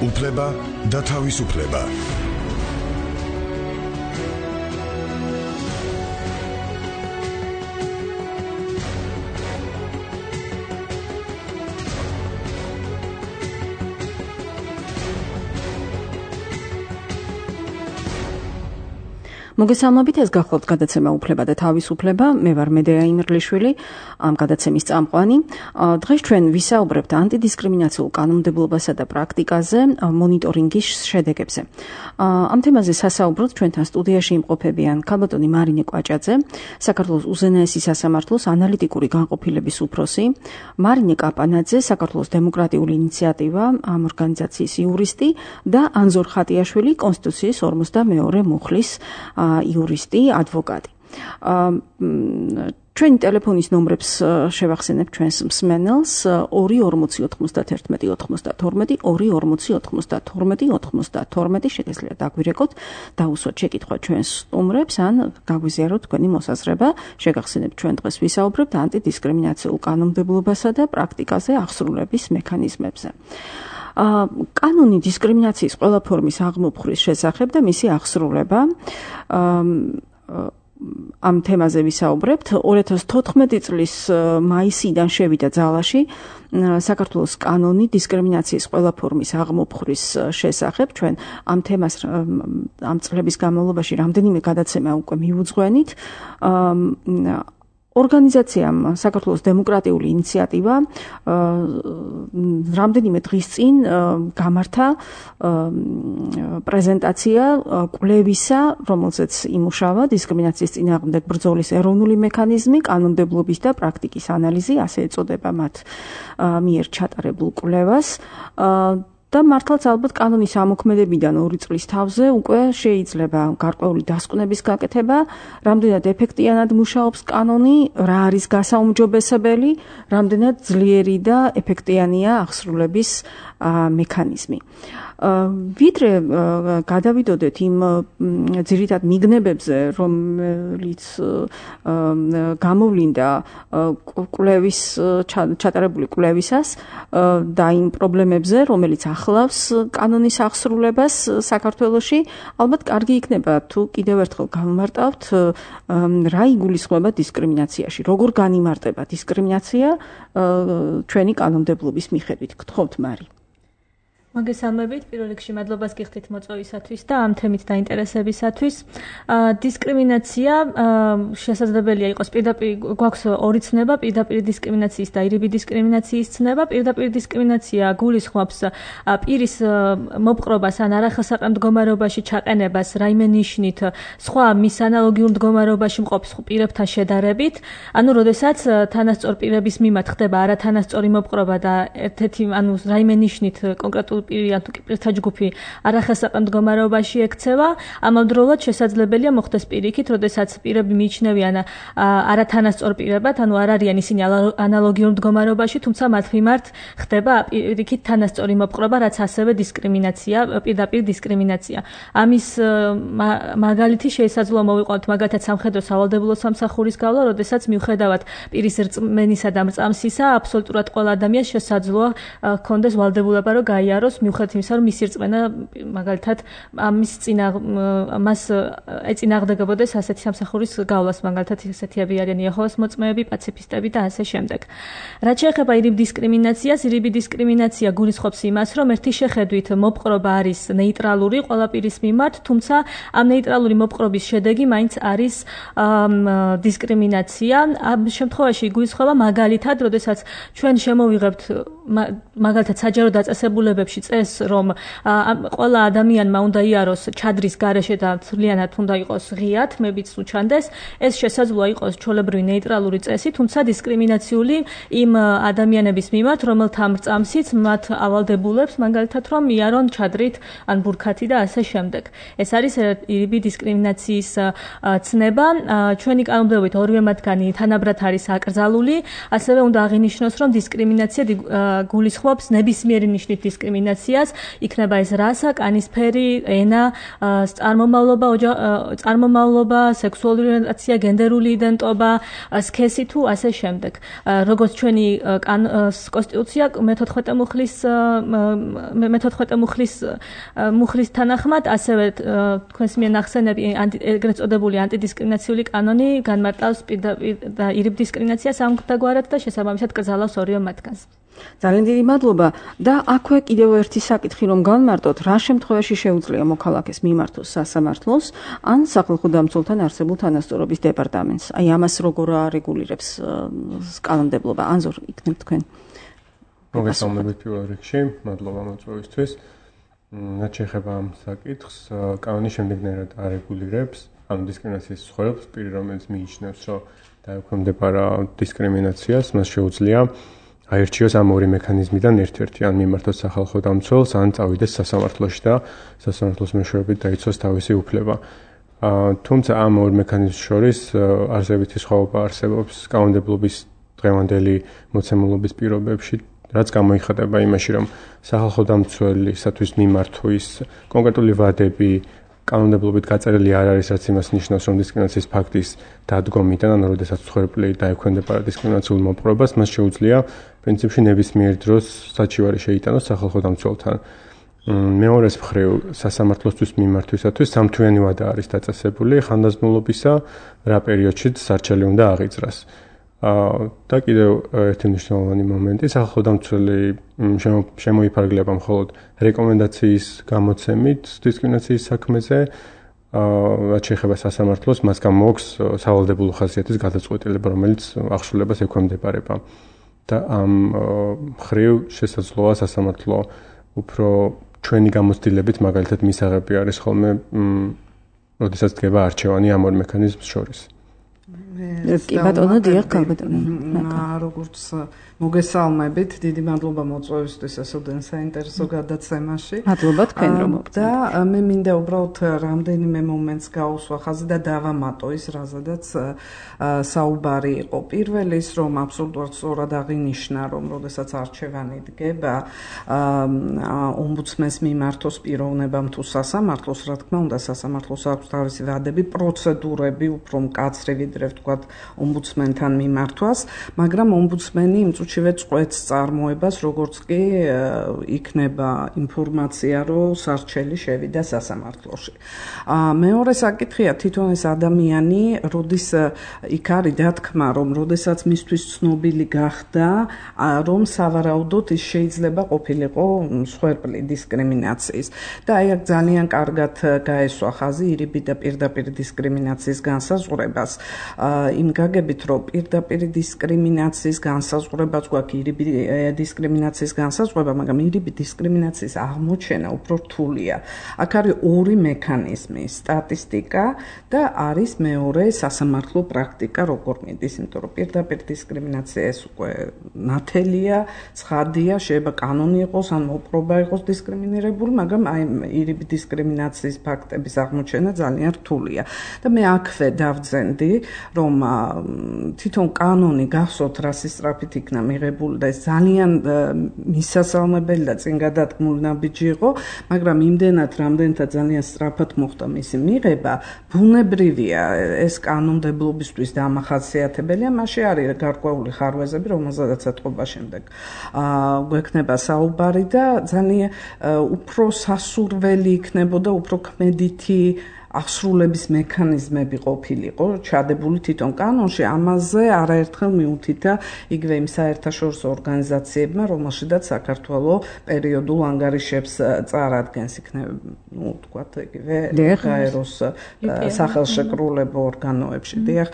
უფლება და თავისუფლება. მოგესალმებით, ეს გახლავთ გადაცემა უფლება და თავისუფლება. მე ვარ მედეა იმერლიშვილი, ამ გადაცემის წამყვანი. დღეს ჩვენ ვისაუბრებთ ანტიდისკრიმინაციულ კანონმდებლობასა და პრაქტიკაზე, მონიტორინგის შედეგებზე. ამ თემაზე სასაუბროდ ჩვენთან სტუდიაში იმყოფებიან ქალბატონი მარინე კვაჭაძე, საქართველოს უზენაესი სასამართლოს ანალიტიკური განყოფილების უფროსი, მარინე კაპანაძე, საქართველოს დემოკრატიული ინიციატივა, ამ ორგანიზაციის იურისტი და ანზორ ხატიაშვილი, კონსტიტუციის 42 მუხლის იურისტი, ადვოკატი. ჩვენი ტელეფონის ნომრებს შევახსენებ ჩვენს მსმენელს 2409192 24092 შეგიძლიათ დაგვირეკოთ, დაუსვათ შეკითხვა ჩვენს სტუმრებს ან გაგვიზიაროთ თქვენი მოსაზრება. შეგახსენებთ, ჩვენ დღეს ვისაუბრებთ ანტიდისკრიმინაციულ კანონმდებლობასა და პრაქტიკაზე აღსრულების მექანიზმებზე. კანონი დისკრიმინაციის ყველა ფორმის აღმოფხვრის შესახებ და მისი აღსრულება. ამ თემაზე ვისაუბრებთ. 2014 წლის მაისიდან შევიდა ძალაში საქართველოს კანონი დისკრიმინაციის ყველა ფორმის აღმოფხვრის შესახებ. ჩვენ ამ თემას ამ წლების განმავლობაში რამდენიმე გადაცემა უკვე მივუძღვენით. ორგანიზაციამ საქართველოს დემოკრატიული ინიციატივა რამდენიმე დღის წინ გამართა პრეზენტაცია კვლევისა, რომელზეც იმუშავა დისკრიმინაციის წინააღმდეგ ბრძოლის ეროვნული მექანიზმი, კანონმდებლობის და პრაქტიკის ანალიზი, ასე ეწოდება მათ მიერ ჩატარებულ კვლევას. და მართლაც ალბათ კანონის ამოქმედებიდან 2 წლის თავზე უკვე შეიძლება გარკვეული დასკვნების გაკეთება, რამდენად ეფექტიანად მუშაობს კანონი, რა არის გასაუმჯობესებელი, რამდენად ძლიერი და ეფექტიანია აღსრულების მექანიზმი. ვიდრე გადავიდოდეთ იმ ძირითად მიგნებებზე, რომელიც გამოვლინდა კვლევის ჩატარებული კვლევისას და იმ პრობლემებზე, რომელიც ახლავს კანონის აღსრულებას საქართველოში, ალბათ კარგი იქნება თუ კიდევ ერთხელ გავმარტავთ რა იგულისხმება დისკრიმინაციაში, როგორ განიმარტება დისკრიმინაცია ჩვენი კანონმდებლობის მიხედვით. გთხოვთ, მარი. მოგესალმებით, პირველ რიგში მადლობას გიხდით მოწვევისათვის და ამ თემით დაინტერესებისათვის. დისკრიმინაცია შესაძლებელია იყოს პირდაპირ, გვაქვს ორი ცნება, პირდაპირ დისკრიმინაციის და ირიბი დისკრიმინაციის ცნება. პირდაპირ დისკრიმინაცია გულისხმობს პირის მოპყრობას ან არახელსაყრელ მდგომარეობაში ჩაყენებას რაიმე ნიშნით სხვა მის ანალოგიურ მდგომარეობაში მყოფ პირებთან შედარებით. ანუ, როდესაც თანასწორ პირების მიმართ ხდება არათანასწორი მოპყრობა და ერთ-ერთი ანუ რაიმე ნიშნით კონკრეტულ პირი ან თუ პირთა ჯგუფი არახელსაყრელ მდგომარეობაში ექცევა, ამავდროულად შესაძლებელია მოხდეს პირიქით, როდესაც პირები მიიჩნევიან არათანასწორ პირებად, ანუ არ არიან ისინი ანალოგიურ მდგომარეობაში, თუმცა მათ მიმართ ხდება პირიქით თანასწორი მოპყრობა, რაც ასევე დისკრიმინაცია, პირდაპირ დისკრიმინაცია. ამის მაგალითი შესაძლოა მოვიყვანოთ მაგალითად სამხედრო სავალდებულო სამსახურის გავლა, როდესაც მიუხედავად პირის რწმენისა და მრწამსისა, აბსოლუტურად ყველა ადამიანს შესაძლოა ჰქონდეს ვალდებულება, რომ გაიაროს მიუხედავად იმისა, რომ მისი რწმენა მაგალითად მას ეწინააღმდეგებოდეს ასეთი სამსახურის გავლას, მაგალითად ესეთები არიან იეჰოვას მოწმეები, პაციფისტები და ასე შემდეგ. რაც შეეხება ირიბ დისკრიმინაციას, ირიბი დისკრიმინაცია გულისხმობს იმას, რომ ერთი შეხედვით მოპყრობა არის ნეიტრალური ყველა პირის მიმართ, თუმცა ამ ნეიტრალური მოპყრობის შედეგი მაინც არის დისკრიმინაცია. ამ შემთხვევაში გულისხმობა მაგალითად, როდესაც ჩვენ შემოვიღებთ მაგალითად საჯარო დაწესებულებებში წეს, რომ ყველა ადამიანმა უნდა იაროს ჩადრის გარეშე და თვლიანად უნდა იყოს ღიად, მებიც უჩანდეს, ეს შესაძლოა იყოს ჩვეულებრივი ნეიტრალური წესი, თუმცა დისკრიმინაციული იმ ადამიანების მიმართ, რომელთა მრწამსიც მათ ავალდებულებს, მაგალითად, რომ იარონ ჩადრით ან ბურქათი და ასე შემდეგ. ეს არის ირიბი დისკრიმინაციის ცნება. ჩვენი კანონმდებლობით ორივე მათგანი თანაბრად არის აკრძალული, ასევე უნდა აღინიშნოს, რომ დისკრიმინაცია გულისხმობს ნებისმიერი ნიშნით დისკრიმინაცია დისკრიმინაციას, იქნება ეს რასა, კანისფერი, ენა, წარმომავლობა, სექსუალური ორიენტაცია, გენდერული იდენტობა, სქესი თუ ასე შემდეგ. როგორც ჩვენი კონსტიტუცია მე-14 მუხლის თანახმად, ასევე თქვენს მიერ ნახსენები ეგრეთ წოდებული ანტიდისკრიმინაციული კანონი განმარტავს პირდაპირ და ირიბ დისკრიმინაციას ამგვარად და შესაბამისად კრძალავს ორივე მათგანს. ძალიან დიდი მადლობა და აქვე კიდევ ერთი საკითხი რომ განმარტოთ, რა შემთხვევაში შეუძლია მოქალაქეს მიმართოს სასამართლოს ან სახალხო დამცველთან არსებულ თანასწორობის დეპარტამენტს. აი ამას როგორ არეგულირებს კანონმდებლობა? ანზორ, იქნებ თქვენ. მოგესალმებით პირველ რიგში, მადლობა მოწვევისთვის. რაც შეეხება ამ საკითხს, კანონი შემდეგნაირად არეგულირებს ანუ დისკრიმინაციის სხვადასხვა პირი, რომელიც მიიჩნევს, რომ დაექვემდებარა დისკრიმინაციას, მას შეუძლია აირჩიოს ამ ორი მექანიზმიდან ერთ-ერთი, ან მიმართოს სახალხო დამცველს, ან წავიდეს სასამართლოში და სასამართლოს მეშვეობით დაიცვას თავისი უფლება. თუმცა ამ ორ მექანიზმს შორის არსებითი სხვაობა არსებობს კანონმდებლობის დღევანდელი მოცემულობის პირობებში, რაც გამოიხატება იმაში, რომ სახალხო დამცველისათვის მიმართვის კონკრეტული ვადები კანონმდებლობით გაწერილი არ არის, რაც იმას ნიშნავს, რომ დისკრიმინაციის ფაქტის დადგომიდან, ანუ როდესაც მსხვერპლი დაექვემდებარა დისკრიმინაციულ მოპყრობას, მას შეუძლია პრინციპში ნებისმიერ დროს საჩივარი შეიტანოს სახალხო დამცველთან. მეორეს მხრივ, სასამართლოსთვის მიმართვისათვის სამთვიანი ვადა არის დაწესებული ხანდაზმულობისა, რა პერიოდშიც სარჩელი უნდა აღიძრას. და კიდევ ერთი მნიშვნელოვანი მომენტი, სახალხო დამცველი შემოიფარგლება მხოლოდ რეკომენდაციის გამოცემით დისკრიმინაციის საქმეზე, რაც შეეხება სასამართლოს, მას გამოაქვს სავალდებულო ხასიათის გადაწყვეტილება, რომელიც აღსრულებას ექვემდებარება. და ამ მხრივ შესაძლოა სასამართლო უფრო ჩვენი გამოცდილებით, მაგალითად მისაღები არის ხოლმე, როდესაც დგება არჩევანი ამ ორ მექანიზმს შორის. კი ბატონო, დიახ, ბატონო. როგორც მოგესალმებით, დიდი მადლობა მოწვევისთვის ასოდენ საინტერესო გადაცემაში. მადლობა თქვენ რომ და მე მინდა უბრალოდ რამდენიმე მომენტს გაუსვა ხაზი და დავამატო ის, რაზედაც საუბარი იყო. პირველი ის, რომ აბსოლუტურად სწორად აღინიშნა, რომ როდესაც არჩევანი დგება ომბუდსმენს მიმართოს პიროვნებამ თუ სასამართლოს, რა თქმა უნდა, სასამართლოს აქვს თავისი ვადები, პროცედურები უფრო მკაცრი ვიდრე ვთქვათ ომბუდსმენთან მიმართვას, მაგრამ ომბუდსმენი იმ წუთშივე წყვეტს წარმოებას, როგორც კი იქნება ინფორმაცია, რომ სარჩელი შევიდა სასამართლოში. მეორე საკითხია თვითონ ეს ადამიანი, როდის იქ არის დათქმა, რომ როდესაც მისთვის ცნობილი გახდა, რომ სავარაუდოდ ის შეიძლება ყოფილიყო მსხვერპლი დისკრიმინაციის. და აი აქ ძალიან კარგად გაესვა ხაზი ირიბი და პირდაპირ დისკრიმინაციის განსაზღვრებას. იმ გაგებით, რომ პირდაპირ დისკრიმინაციის განსაზღვრებაც გვაქვს ირიბი დისკრიმინაციის განსაზღვრება, მაგრამ ირიბი დისკრიმინაციის აღმოჩენა უფრო რთულია. აქ არის ორი მექანიზმი, სტატისტიკა და არის მეორე სასამართლო პრაქტიკა, როგორ მიდის, იმიტომ რომ პირდაპირ დისკრიმინაცია ეს უკვე ნათელია, ცხადია, შეიძლება კანონი იყოს ან მოპყრობა იყოს დისკრიმინირებული, მაგრამ აი ირიბი დისკრიმინაციის ფაქტების აღმოჩენა ძალიან რთულია. და მე აქვე დავძენდი, რომ თვითონ კანონი გახსოვთ რასის სწრაფით იქნა მიღებული და ეს ძალიან მისასალმებელი და წინ გადადგმული ნაბიჯი იყო, მაგრამ იმდენად რამდენთან ძალიან სწრაფად მოხდა მისი მიღება, ბუნებრივია ეს კანონმდებლობისთვის დამახასიათებელია, მასში არის გარკვეული ხარვეზები, რომელზედაც ეთყობა შემდეგ გვექნება საუბარი და ძალიან უფრო სასურველი იქნებოდა, უფრო ქმედითი აღსრულების მექანიზმები ყოფილიყო ჩადებული თვითონ კანონში, ამაზე არაერთხელ მიუთითა იგივე იმ საერთაშორისო ორგანიზაციებმა, რომელშიდაც საქართველოს პერიოდულ ანგარიშებს წარადგენს, იქნება, ვთქვათ, იგივე გაეროს სახელშეკრულებო ორგანოებში. დიახ,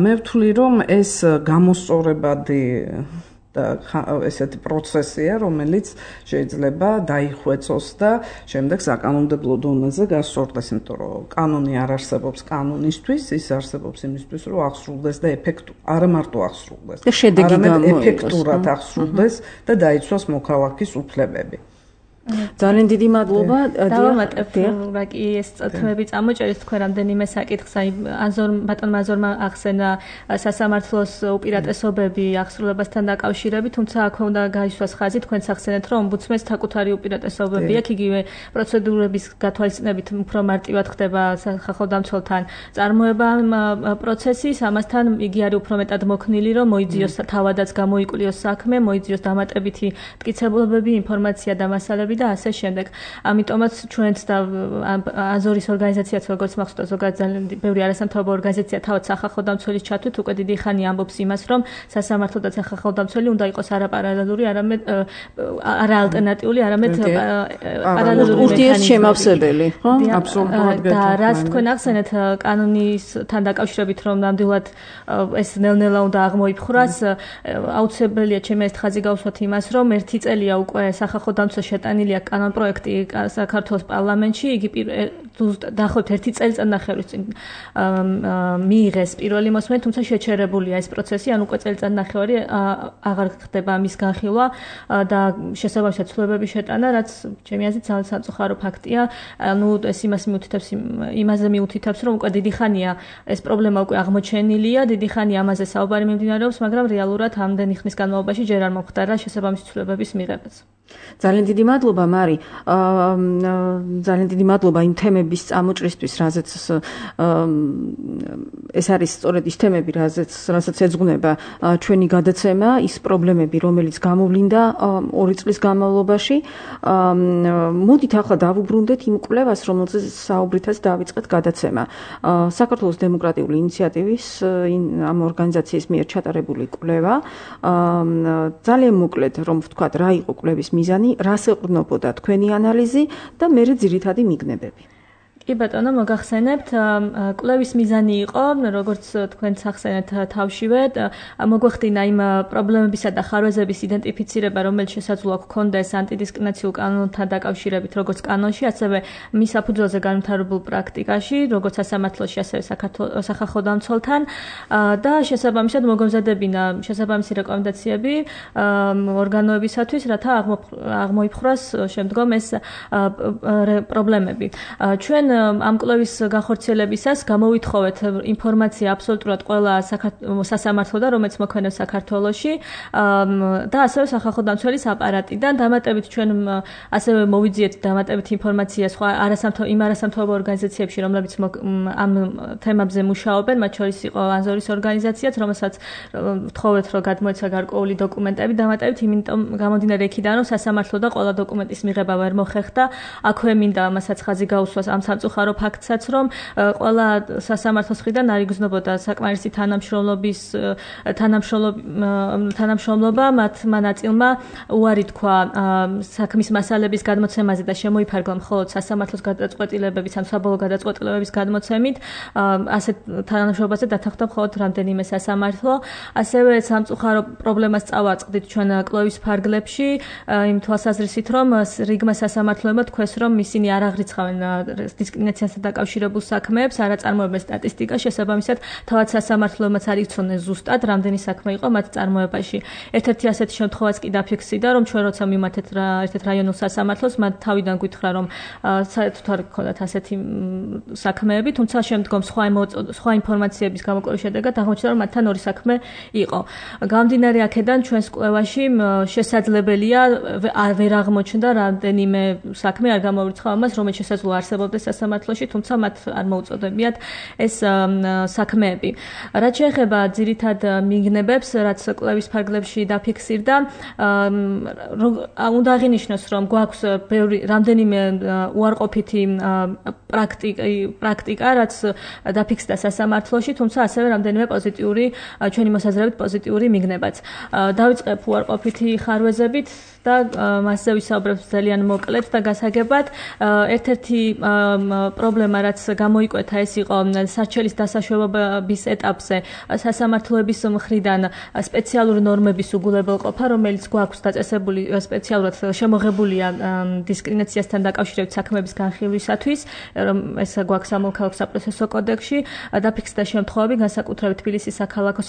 მე ვთვლი, რომ ეს გამოსწორებადი და ესეთი პროცესია, რომელიც შეიძლება დაიხვეწოს და შემდეგ საკანონმდებლო დონეზე გასწორდეს, იმიტომ რომ კანონი არ არსებობს კანონისთვის, ის არსებობს იმისთვის, რომ აღსრულდეს და არა მარტო აღსრულდეს, არამედ ეფექტურად აღსრულდეს და დაიცვას მოქალაქის უფლებები. ძალიან დიდი მადლობა. დავამატებ რა კი ეს თემები წამოჭერეთ თქვენ რამდენიმე საკითხს, აი ბატონმა აზორმა ახსენა სასამართლოს უპირატესობები აღსრულებასთან დაკავშირებით, თუმცა აქვე უნდა გაისვას ხაზი, თქვენც ახსენეთ, რომ ომბუდსმენს საკუთარი უპირატესობები აქვს, იგივე პროცედურების გათვალისწინებით უფრო მარტივად ხდება სახალხო დამცველთან წარმოება პროცესის, ამასთან იგი არის უფრო მეტად მოქნილი, რომ მოიძიოს თავადაც გამოიკვლიოს საქმე, მოიძიოს დამატებითი მტკიცებულებები, ინფორმაცია და მასალები და ასე შემდეგ. ამიტომაც ჩვენც და აზორის ორგანიზაციაც როგორც მახსოვს ზოგადად ძალიან ბევრი არასამთავრობო ორგანიზაცია თავად სახალხო დამცველის ჩათვლით უკვე დიდი ხანია ამბობს იმას, რომ სასამართლო და სახალხო დამცველი უნდა იყოს არა პარალელური, არამედ არა ალტერნატიული, არამედ პარალელური ურთიერთშემავსებელი, ხო? აბსოლუტურად და რაც თქვენ ახსენეთ კანონისთან დაკავშირებით, რომ ნამდვილად ეს ნელ-ნელა უნდა აღმოიფხვრას, აუცილებელია ჩემი ეს ხაზი გავუსვათ იმას, რომ 1 წელია უკვე სახალხო დამცველს შეტანილია კანონპროექტი საქართველოს პარლამენტში, იგი დაახლოებით 1 წელიწადნახევრის წინ მიიღეს პირველი მოსმენით, თუმცა შეჩერებულია ეს პროცესი, ან უკვე წელიწადნახევარი აღარ ხდება ამის განხილვა და შესაბამისად ცვლილებების შეტანა, რაც ჩემი აზრით ძალიან სამწუხარო ფაქტია. ანუ ეს იმაზე მიუთითებს, რომ უკვე დიდი ხანია ეს პრობლემა უკვე აღმოჩენილია, დიდი ხანია ამაზე საუბარი მიმდინარეობს, მაგრამ რეალურად ამდენი ხნის განმავლობაში ჯერ არ მომხდარა შესაბამისი ცვლილებების მიღებაც. ძალიან დიდი მადლობა მარი. ძალიან დიდი მადლობა იმ თემების წამოჭრისთვის, რაზეც ეს არის სწორედ ის თემები, რასაც ეძღვნება ჩვენი გადაცემა, ის პრობლემები, რომელიც გამოვლინდა 2 წლის განმავლობაში. მოდით ახლა დავუბრუნდეთ იმ კვლევას, რომელზეც საუბრითაც დავიწყეთ გადაცემა. საქართველოს დემოკრატიული ინიციატივის ამ ორგანიზაციის მიერ ჩატარებული კვლევა. ძალიან მოკლედ რომ ვთქვათ, რა იყო კვლევის მიზანი, რას ეყრდნობოდა თქვენი ანალიზი და მერე ძირითადი მიგნებები. კი ბატონო, მოგახსენებთ, კვლევის მიზანი იყო, როგორც თქვენც ახსენეთ თავშივე, მოგვეხდინა იმ პრობლემებისა და ხარვეზების იდენტიფიცირება, რომელიც შესაძლოა გქონდეს ანტიდისკრიმინაციულ კანონთან დაკავშირებით, როგორც კანონში, ასევე მის საფუძველზე განვითარებულ პრაქტიკაში, როგორც სასამართლოში, ასევე სახალხო დამცველთან და შესაბამისად მოგემზადებინა შესაბამისი რეკომენდაციები ორგანოებისათვის, რათა აღმოიფხვრას შემდგომ ეს პრობლემები. ჩვენ ამ კვლევის განხორციელებისას გამოვითხოვეთ ინფორმაცია აბსოლუტურად ყველა სასამართლოდან, რომელიც მოქმედებს საქართველოში და ასევე სახალხო დამცველის აპარატიდან. დამატებით ჩვენ ასევე მოვიძიეთ დამატებით ინფორმაცია სხვა არასამთავრობო ორგანიზაციებში, რომლებიც ამ თემებზე მუშაობენ, მათ შორის იყო აზორის ორგანიზაციაც, რომელსაც ვთხოვეთ, რომ გადმოეცა გარკვეული დოკუმენტები. დამატებით იმიტომ გამომდინარე იქიდან, რომ სასამართლო და ყველა დოკუმენტის მიღება ვერ მოხერხდა, აქვე მინდა ამასაც ხაზი გაუსვას ამ სამწუხარო ფაქტსაც, რომ ყველა სასამართლოს მხრიდან არ იგრძნობოდა საკმარისი თანამშრომლობა მათმა ნაწილმა უარი თქვა საქმის მასალების გადმოცემაზე და შემოიფარგლა მხოლოდ სასამართლოს გადაწყვეტილებების ან საბოლოო გადაწყვეტილებების გადმოცემით. ასეთ თანამშრომლობაზე დათანხმდა მხოლოდ რამდენიმე სასამართლო. ასევე სამწუხარო პრობლემას წავაწყდით ჩვენ კვლევის ფარგლებში, იმ თვალსაზრისით, რომ რიგმა სასამართლოებმა თქვეს, რომ ისინი არ აღრიცხავენ დისკრიმინაციასთან დაკავშირებულ საქმეებს, არ აწარმოებენ სტატისტიკას, შესაბამისად, თავად სასამართლოებმაც არ იცოდნენ ზუსტად, რამდენი საქმე იყო მათ წარმოებაში. ერთ-ერთი ასეთი შემთხვევაც კი დაფიქსირდა, რომ ჩვენ როცა მიმართეთ ერთ-ერთ რაიონულ სასამართლოს, მათ თავიდან გვითხრა, რომ საერთოდ არ გქონდათ ასეთი საქმეები, თუმცა შემდგომ სხვა ინფორმაციების გამოკვლევის შედეგად აღმოჩნდა, რომ მათთან ორი საქმე იყო. გამომდინარე აქედან ჩვენს კვლევაში შესაძლებელია ვერ აღმოჩნდა რამდენიმე საქმე არ გამოვრიცხა ამას, რომელიც შესაძლოა არსებობდეს სასამართლოში, თუმცა მათ არ მოუწოდებიათ ეს საქმეები. რაც შეეხება ძირითად მიგნებებს, რაც კვლევის ფარგლებში დაფიქსირდა, უნდა აღინიშნოს, რომ გვაქვს რამდენიმე უარყოფითი პრაქტიკა, რაც დაფიქსირდა სასამართლოში, თუმცა ასევე რამდენიმე პოზიტიური, ჩვენი მოსაზრებით პოზიტიური მიგნებაც. დავიწყებ უარყოფითი ხარვეზებით და მასზე ვისაუბრებ ძალიან მოკლედ და გასაგებად. ერთ-ერთი პრობლემა, რაც გამოიკვეთა, ეს იყო სარჩელის დასაშვებების ეტაპზე სასამართლოების მხრიდან სპეციალური ნორმების უგულებელყოფა, რომელიც გვაქვს დაწესებული სპეციალურად შემოღებულია დისკრიმინაციასთან დაკავშირებით საქმეების განხილვისათვის, ეს გვაქვს სამოქალაქო საპროცესო კოდექსში, დაფიქსირდა შემთხვევები განსაკუთრებით თბილისის საქალაქო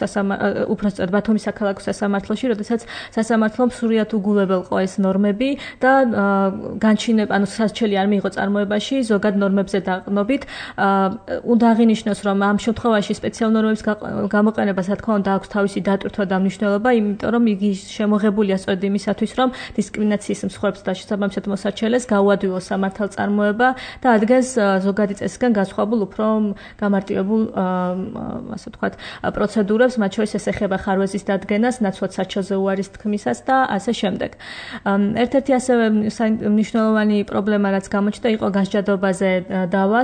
უпростоრად ბათუმის საქალაქო სასამართლოში, როდესაც სასამართლომ სრულად უგულებელყო ეს ნორმები და განჩინება, ანუ სარჩელი არ მიიღო წარმოებაში ზოგად ნორმებზე დაყრდნობით. უნდა აღინიშნოს, რომ ამ შემთხვევაში სპეციალურ ნორმების გამოყენება, რა თქმა უნდა, აქვს თავისი დატვირთვა და მნიშვნელობა, იმიტომ რომ იგი შემოღებულია სწორედ იმისათვის, რომ დისკრიმინაციის მსხვერპლს და შესაბამისად მოსარჩელეს გაუადვილოს სამართალწარმოება და ადგენს ზოგადი წესისგან განსხვავებულ უფრო გამარტივებულ, ასე ვთქვათ, პროცედურებს, მათ შორის ეს ეხება ხარვეზის დადგენას, ნაცვლად საჩელზე უარის თქმისას და ასე შემდეგ. ერთ-ერთი ასევე მნიშვნელოვანი პრობლემა, რაც გამოჩნდა, იყო განსჯადობაზე დავა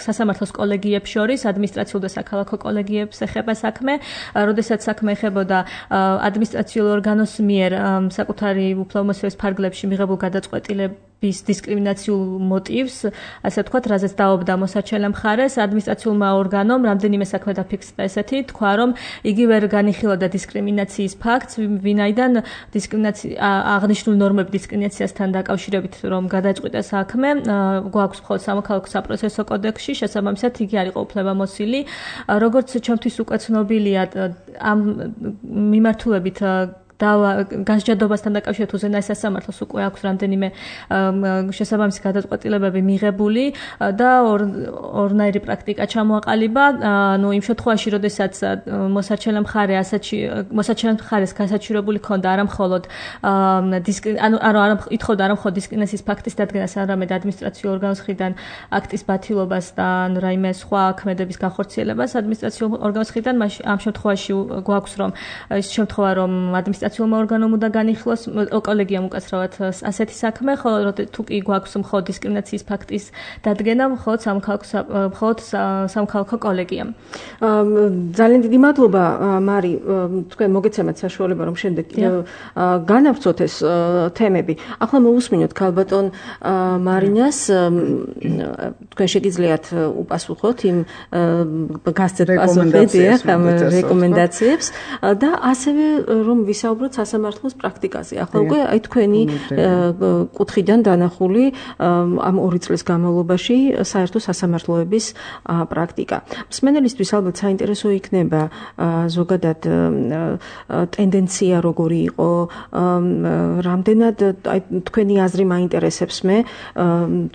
სასამართლოს კოლეგიებს შორის, ადმინისტრაციულ და საქალაქო კოლეგიებს ეხება საქმე, როდესაც საქმე ეხებოდა ადმინისტრაციულ ორგანოს მიერ საკუთარი უფლებამოსილების ფარგლებში მიღებულ გადაწყვეტილების დისკრიმინაციულ მოტივს, ასე ვთქვათ, რაზეც დაობდა მოსარჩელე მხარეს, ადმინისტრაციულმა ორგანომ რამდენიმე საქმე დაფიქსირდა ესეთი, თქვა, რომ იგი ვერ განიხილავდა დისკრიმინაციის ფაქტს, ვინაიდან აღნიშნული ნორმები დისკრიმინაციასთან დაკავშირებით, რომ გადაწყვიტა საქმე, გვაქვს მხოლოდ სამოქალაქო საპროცესო კოდექსში, შესაბამისად იგი არ იყო უფლებამოსილი. როგორც ჩემთვის უკვე ცნობილია, ამ მიმართულებით განსჯადობასთან დაკავშირებით უზენაეს სასამართლოს უკვე აქვს რამდენიმე შესაბამისი გადაწყვეტილებები მიღებული და ორნაირი პრაქტიკა ჩამოაყალიბა. ანუ იმ შემთხვევაში, როდესაც მოსარჩელე მხარეს გასაჩივრებული ქონდა არამხოლოდ ითხოვდა არამხოლოდ დისკრიმინაციის ფაქტის დადგენას, არამედ ადმინისტრაციულ ორგანოს მხრიდან აქტის ბათილობას და რაიმე სხვა ქმედების განხორციელებას ადმინისტრაციულ ორგანოს მხრიდან, ამ შემთხვევაში გვაქვს რომ ის შემთხვევა, რომ ადმინისტრაციულმა ორგანომ უნდა განიხილოს, კოლეგიამ უკაცრავად ასეთი საქმე, ხოლო თუ კი გვაქვს მხოლოდ დისკრიმინაციის ფაქტის დადგენა, მხოლოდ სამოქალაქო კოლეგიამ. ძალიან დიდი მადლობა, მარი, თქვენ მოგეცემათ საშუალება, რომ შემდეგ განავრცოთ ეს თემები. ახლა მოусმინოთ ქალბატონ მარინას, თქვენ შეგიძლიათ უპასუხოთ იმ გასცეთ პასუხებს, ამ რეკომენდაციებს და ასევე რომ ვისაუბროთ სასამართლოს პრაქტიკაზე. ახლა უკვე აი თქვენი კუთხიდან დანახული ამ 2 წლის განმავლობაში საერთო სასამართლოების პრაქტიკა. მსმენელისთვის ალბათ საინტერესო იქნება ზოგადად ტენდენცია როგორი იყო, რამდენად აი თქვენი აზრი მაინტერესებს მე,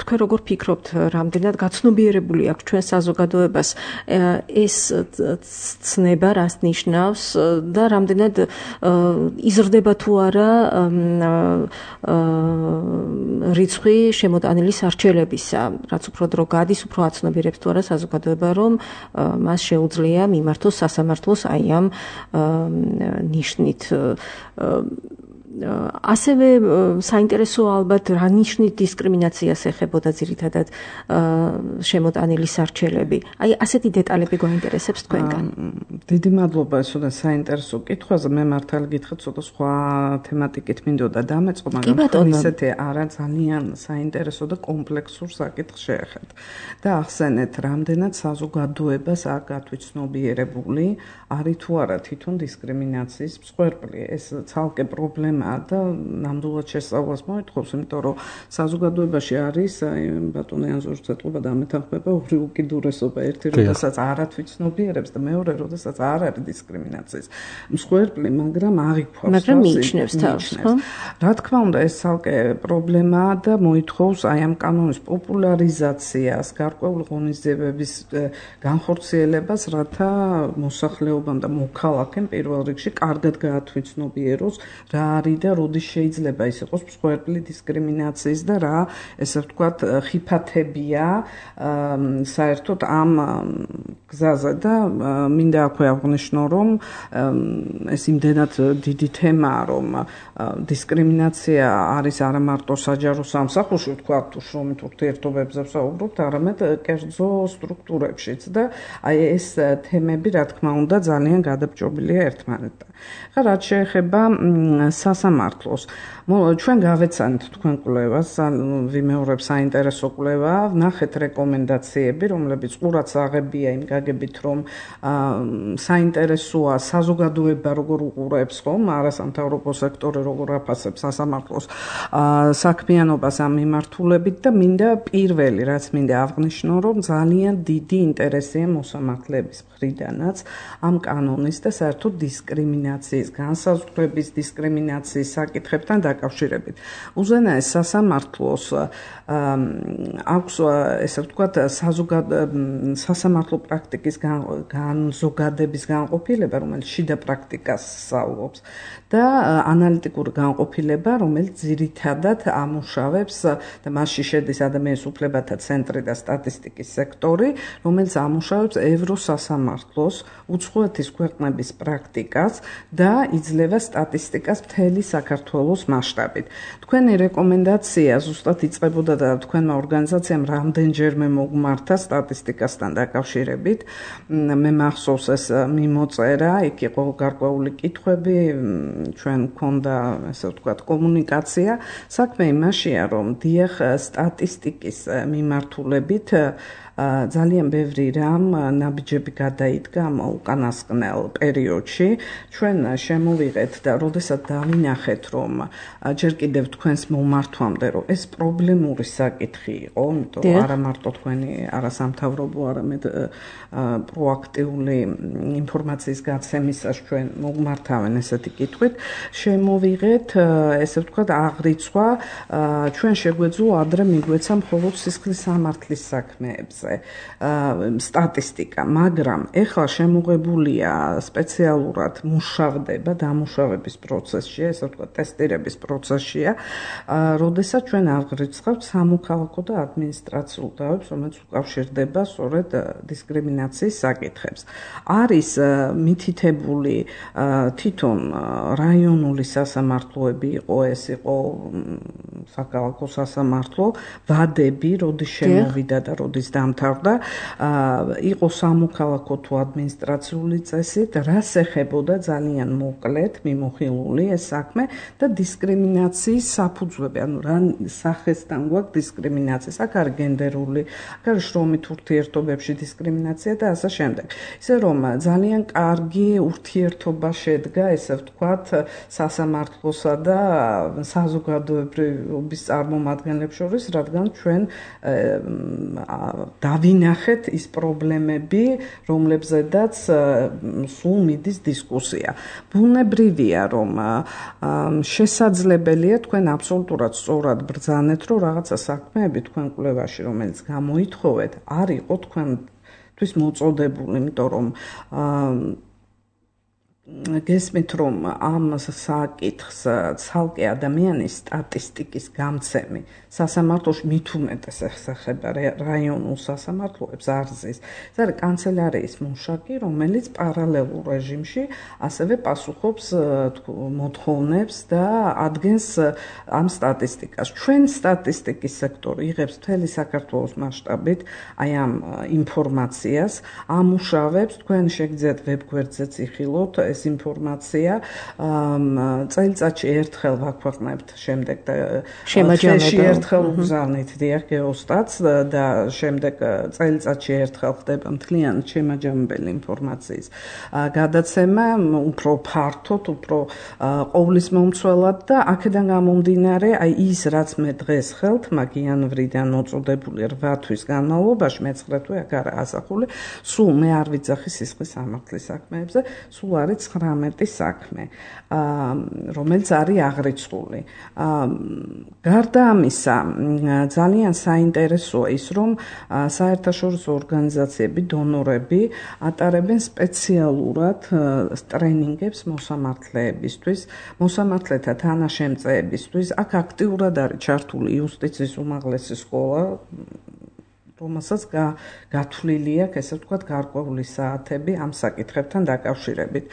თქვენ როგორ ფიქრობთ, რამდენად გაცნობიერებული აქვს ჩვენ საზოგადოებას ეს ცნება, რას ნიშნავს და რამდენად იზრდება თუ არა რიცხვი შემოტანილი სარჩელებისა, რაც უფრო დრო გადის, უფრო აცნობიერებს თუ არა საზოგადოება, რომ მას შეუძლია მიმართოს სასამართლოს აი ამ ნიშნით. ასევე საინტერესოა ალბათ რა ნიშნით დისკრიმინაციას ეხებოდა ძირითადად შემოტანილი სარჩელები. აი ასეთი დეტალები გვაინტერესებს თქვენგან. დიდი მადლობა ესოდა საინტერესო კითხვაზე. მე მართალი გითხრათ, ცოტა სხვა თემატიკით მინდოდა დამეწყო, მაგრამ ისეთი არა ძალიან საინტერესო და კომპლექსურ საკითხს შეეხეთ. და ახსენეთ, რამდენად საზოგადოებას არ გათვითცნობიერებული არის თუ არა თვითონ დისკრიმინაციის მსხვერპლი. ეს ცალკე პრობლემაა და ნამდვილად შესწავლას მოითხოვს, იმიტომ რომ საზოგადოებაში არის ბატონი ანზორის ცეტყობა დამეთანხმება ორი უკიდურესობა, ერთი როდესაც არ ათვითცნობიერებს და მეორე როდესაც არ არის დისკრიმინაციის მსხვერპლი, მაგრამ აღიქვავს თავს. მაგრამ მიიჩნევს თავს, ხო? რა თქმა უნდა, ეს ცალკე პრობლემაა და მოითხოვს აი ამ კანონის პოპულარიზაციას, გარკვეული ღონისძიებების განხორციელებას, რათა მოსახლეობამ და მოქალაქემ პირველ რიგში კარგად გაათვითცნობიეროს რა არის და როდის შეიძლება ის იყოს მსხვერპლი დისკრიმინაციის და რა, ესე ვთქვათ, ხიფათებია საერთოდ ამ გზაზე და მინდა აქვე აღვნიშნო, რომ ეს იმდენად დიდი თემაა, რომ დისკრიმინაცია არის არა მარტო საჯარო სამსახურში, ვთქვათ, შრომით ურთიერთობებზე ვსაუბრობთ, არამედ კერძო სტრუქტურებშიც და აი ეს თემები, რა თქმა უნდა, ძალიან გადაბჭობილია ერთმანეთთან. ხა რაც შეეხება სასამართლოს. ჩვენ გავეცანით თქვენ კვლევას, ვიმეორებ საინტერესო კვლევა, ვნახეთ რეკომენდაციები, რომლებიც ყურად აღებია იმ გაგებით, რომ საინტერესოა საზოგადოება როგორ უყურებს, ხომ, არასამთავრობო სექტორი როგორ აფასებს სასამართლოს საქმიანობას ამ მიმართულებით და მინდა პირველი, რაც მინდა აღვნიშნო, რომ ძალიან დიდი ინტერესია მოსამართლეების მხრიდანაც ამ კანონის და საერთოდ დისკრიმინაციის, განსაზღვრების დისკრიმინაციის საკითხებთან დაკავშირებით. უზენაეს სასამართლოს აქვს, ესე ვთქვათ, სასამართლო პრაქტიკის განზოგადების განყოფილება, რომელიც შიდა პრაქტიკას სწავლობს და ანალიტიკური განყოფილება, რომელიც ძირითადად ამუშავებს და მასში შედის ადამიანის უფლებათა ცენტრი და სტატისტიკის სექტორი, რომელიც ამუშავებს ევროსასამართლოს უცხოეთის ქვეყნების პრაქტიკას და იძლევა სტატისტიკას მთელი საქართველოს მასშტაბით. თქვენი რეკომენდაცია ზუსტად იწყებოდა და თქვენმა ორგანიზაციამ რამდენჯერმე მოგმართა სტატისტიკასთან დაკავშირებით. მე მახსოვს ეს მიმოწერა, იქ იყო გარკვეული კითხვები, ჩვენ გქონდა, ესე ვთქვათ, კომუნიკაცია. საქმე იმაშია, რომ დიახ, სტატისტიკის მიმართულებით ძალიან ბევრი რამ ნაბიჯები გადაიდგა ამ უკანასკნელ პერიოდში. ჩვენ შემოვიღეთ და როდესაც დავინახეთ, რომ ჯერ კიდევ თქვენს მომართვამდე, რომ ეს პრობლემური საკითხი იყო, იმიტომ რომ არა მარტო თქვენი არასამთავრობო, არამედ პროაქტიული ინფორმაციის გაცემისას ჩვენ მოგმართავენ ესეთი კითხვით, შემოვიღეთ, ესე ვთქვათ, აღრიცხვა, ჩვენ შეგვეძლო ადრე მიგვეცა მხოლოდ სისხლის სამართლის საქმეებზე სტატისტიკა, მაგრამ ეხლა შემოღებულია სპეციალურად მუშავდება დამუშავების პროცესში, ესე ვთქვათ, ტესტირების პროცესშია, როდესაც ჩვენ აღრიცხავთ სამოქალაქო და ადმინისტრაციულ დავებს, რომელიც უკავშირდება სწორედ დისკრიმინაციის საკითხებს. არის მითითებული თვითონ რაიონული სასამართლოები იყო, ეს იყო საქალაქო სასამართლო, ვადები, როდის შემოვიდა და როდის დამთავრდა, იყო სამოქალაქო თუ ადმინისტრაციული წესით, რას ეხებოდა ძალიან მოკლედ მიმოხილული ეს საქმე და დისკრიმინაციის საფუძვლები, ანუ რა სახესთან გვაქვს დისკრიმინაცია, აქ არის გენდერული, აქ არის შრომით ურთიერთობებში დისკრიმინაცია და ასე შემდეგ. ისე რომ ძალიან კარგი ურთიერთობა შედგა, ესე ვთქვათ, სასამართლოსა და საზოგადოებრივობის წარმომადგენლებს შორის, რადგან ჩვენ დავინახეთ ის პრობლემები, რომლებზედაც სულ მიდის დისკუსია. ბუნებრივია, რომ შესაძლებელია თქვენ აბსოლუტურად სწორად ბრძანეთ, რომ რაღაცა საქმეები თქვენ კვლევაში, რომელიც გამოითხოვეთ, არ იყო თქვენთვის მოწოდებული, იმიტომ რომ გესმით, რომ ამ საკითხს ცალკე ადამიანის სტატისტიკის გამცემი სასამართლოში მით უმეტეს ეხება რაიონულ სასამართლოებს არზის. ეს არის კანცელარიის მუშაკი, რომელიც პარალელურ რეჟიმში ასევე პასუხობს მოთხოვნებს და ადგენს ამ სტატისტიკას. ჩვენ სტატისტიკის სექტორი იღებს მთელი საქართველოს მასშტაბით აი ამ ინფორმაციას, ამუშავებს, თქვენ შეგიძლიათ ვებგვერდზეც იხილოთ ეს ინფორმაცია, წელიწადში ერთხელ ვაქვეყნებთ, შემდეგ შემაჯამებელს ერთხელ უგზავნით დიახ გეოსტატს და შემდეგ წელიწადში ერთხელ ხდება მთლიანად შემაჯამებელი ინფორმაციის გადაცემა, უფრო ფართოდ, უფრო ყოვლისმომცველად და აქედან გამომდინარე, აი ის რაც მე დღეს ხელთ მაგიანვრიდან მოწოდებული 8 თვის განმავლობაში, მე-9 თვე აქ არა ასახული, სულ მე არ ვიძახი სისხლის სამართლის საქმეებზე, სულ არის 19 საქმე, რომელიც არის აღრიცხული. გარდა ამისა, ძალიან საინტერესოა ის, რომ საერთაშორისო ორგანიზაციები, დონორები ატარებენ სპეციალურად ტრენინგებს მოსამართლეებისთვის, მოსამართლეთა თანაშემწეებისთვის. აქ აქტიურად არის ჩართული იუსტიციის უმაღლესი სკოლა, რომელსაც გათვლილი აქვს, ესე ვთქვათ, გარკვეული საათები ამ საკითხებთან დაკავშირებით.